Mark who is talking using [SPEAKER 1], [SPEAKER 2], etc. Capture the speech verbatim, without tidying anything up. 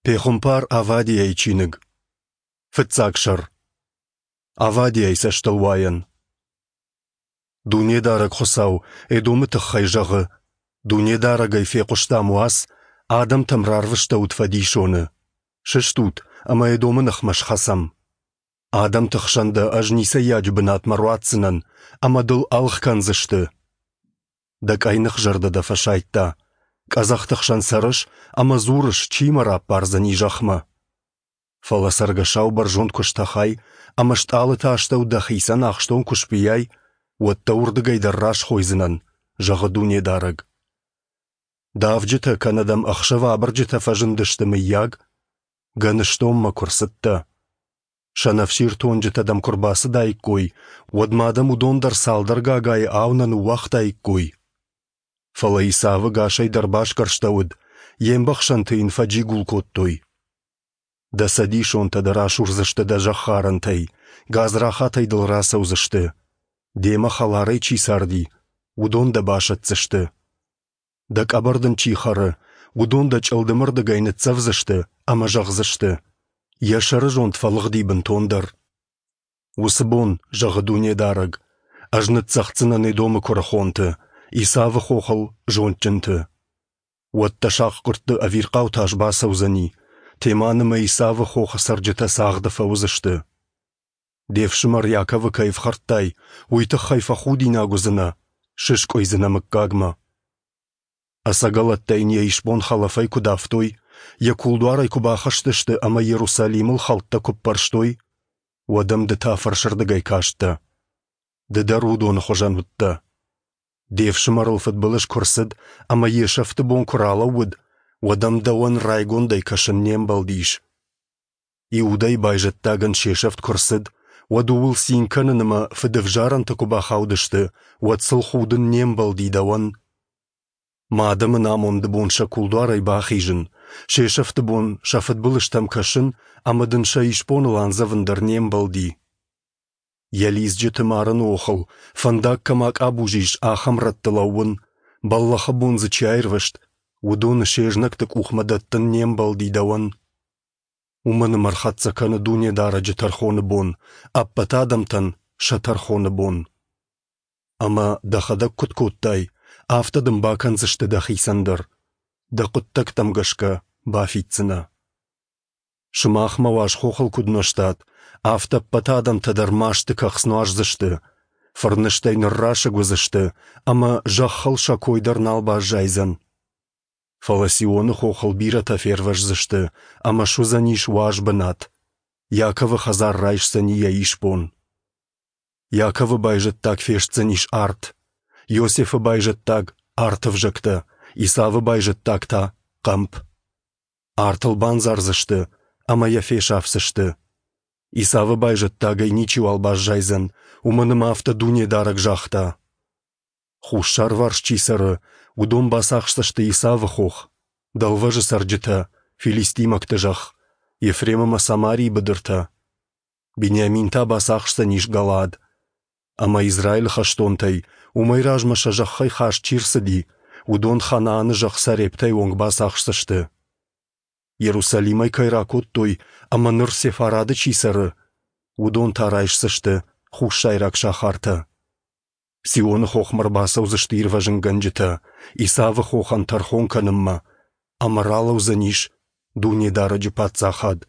[SPEAKER 1] Пехуымпар Авадиайы чиныг. Фыццаг сӕр. Авадиайы цӕстылуайӕн. Дунедарӕг Хуыцау Эдомы тыххӕй зӕгъы: Дунедарӕгӕй фехъуыстам уац, адӕмтӕм рарвыстӕуыд фӕдисоны. Сыстут ӕмӕ Эдомы ныхмӕ схӕцӕм. Адӕмты хсӕн дӕ ӕз ницӕййаджы бынатмӕ руадздзынӕн, ӕмӕ дыл ӕлгъ кӕндзысты. Дӕ къӕйных зӕрдӕ дӕ фӕсайдта. Къӕдзӕхты хсӕн цӕрыс ӕмӕ дзурыс, чи мӕ раппардзӕни зӕхмӕ. Фӕлӕ цӕргӕсау бӕрзонд куы стӕхай ӕмӕ стъалыты астӕу дӕхицӕн ахстон куы сбийай, уӕд дӕ уырдыгӕй дӕр расхойдзынӕн, зӕгъы Дунедарӕг. Давджытӕ кӕнӕ дӕм ӕхсӕвы абырджытӕ фӕзындысты, мыййаг? Гӕныстонмӕ куы рцыдтӕ. Сӕнӕфсиртонджытӕ дӕм куы рбацыдаиккой, уӕд ма дӕм уыдон дӕр цалдӕр гагайы ау нӕ ныууагътаиккой. Фӕлӕ Исавы гасӕй дӕр басгӕрстӕуыд, йе мбӕхсӕнты йын фӕджигул кодтой. Дӕ цӕдисонтӕ дӕ расурдзысты дӕ зӕххарӕнтӕй, гадзрахатӕй дыл рацӕудзысты. Демӕ хӕларӕй чи царди, уыдон дӕ басӕтдзысты. Дӕ къӕбӕр дын чи хӕры, уыдон дӕ чъылдымырдыгӕй ныццӕвдзысты ӕмӕ зӕгъдзысты: Йӕ сӕрызонд фӕлыгъди бынтондӕр. Уыцы бон, зӕгъы Дунедарӕг, ӕз ныццӕгъддзынӕн Эдомы куырыхонты, Исавы хохыл зондджынты. Уӕд дӕ сахъгуырдты ӕвирхъау тас бацӕудзӕни, Теманы мӕ Исавы хохы цӕрджытӕ цагъды фӕуыдзысты. Де фсымӕр Иаковы кӕй ӕфхӕрдтай, уый тыххӕй фӕхудинаг уыдзынӕ, сыскъуыйдзынӕ мыггагмӕ. Ӕцӕгӕлӕттӕ йын йӕ исбон хӕлӕфӕй куы давтой, йӕ кулдуарӕй куы бахызтысты ӕмӕ Иерусалимыл хӕлттӕ куы ппӕрстой, уӕд ӕм ды та фӕрсырдыгӕй касттӕ. Ды дӕр уыдоны хуызӕн уыдтӕ. Де фсымӕрыл фыдбылыз куы рцыд ӕмӕ йе сӕфты бон куы ралӕууыд, уӕд ӕм дӕуӕн райгондӕй кӕсын не мбӕлдис. Иудӕйы байзӕддагӕн се сӕфт куы рцыд, уӕд ууыл цин кӕнын ӕмӕ фыдӕвзарӕнты куы бахаудысты, уӕд сыл худын не мбӕлди дӕуӕн. Мӕ адӕмы амонды бон сӕ кулдуарӕй бахизын, се сӕфты бон сӕ фыдбылызтӕм кӕсын ӕмӕ дын сӕ исбоныл андзӕвын дӕр не мбӕлди. Йӕ лидзджыты марыны охыл, фӕндаг кӕм акъабуз ис, ахӕм рӕтты лӕууын, бӕллӕхы бон дзы чи аирвӕзт, уыдоны се знӕгты къухмӕ дӕттын не мбӕлди дӕуӕн. Уымӕн ӕмӕ ӕрхӕццӕ кӕны Дунедарӕджы тӕрхоны бон, ӕппӕт адӕмтӕн сӕ тӕрхоны бон. Ӕмӕ дӕхӕдӕг куыд кодтай, афтӕ дын бакӕндзысты дӕхицӕн дӕр, дӕ хъуыддӕгтӕм гӕсгӕ бафиддзынӕ. Сымах мӕ уаз хохыл куыд нуӕзтат, афтӕ ӕппӕт адӕмтӕ дӕр масты кӕхц нуаздзысты, фырнызтӕй ныррасыг уыдзысты ӕмӕ зӕххыл сӕ кой дӕр нал баззайдзӕн. Фӕлӕ Сионы хохыл бирӕтӕ фервӕздзысты ӕмӕ суыдзӕнис уаз бынат, Иаковы хӕдзар райсдзӕни йӕ исбон. Иаковы байзӕддаг фестдзӕнис арт, Иосифы байзӕддаг арты ӕвзӕгтӕ, Исавы байзӕддаг та хъӕмп. Артыл бандзардзысты ӕмӕ йӕ фесафдзысты. Исавы байзӕддагӕй ничиуал баззайдзӕн, уымӕн ӕмӕ афтӕ Дунедарӕг загъта. Хуссарварс чи цӕры, уыдон бацахсдзысты Исавы хох, дӕлвӕзы цӕрджытӕ, филистимӕгты зӕхх, Ефрем ӕмӕ Самарийы быдыртӕ. Бениамин та бацахсдзӕнис Галаад. Ӕмӕ Израилы хӕстонтӕй, уымӕй размӕ сӕ зӕххӕй хаст чи рцыди, уыдон Ханааны зӕхх Сарептӕй онг бацахсдзысты. Иерусалимӕй кӕй ракодтой ӕмӕ ныр Сефарады чи цӕры, уыдон та райсдзысты хуссайраг сахартӕ. Сионы хохмӕ ӕрбацӕудзысты ирвӕзынгӕнджытӕ, Исавы хохӕн тӕрхон кӕнынмӕ, ӕмӕ ралӕудзӕнис Дунедарӕджы паддзахад.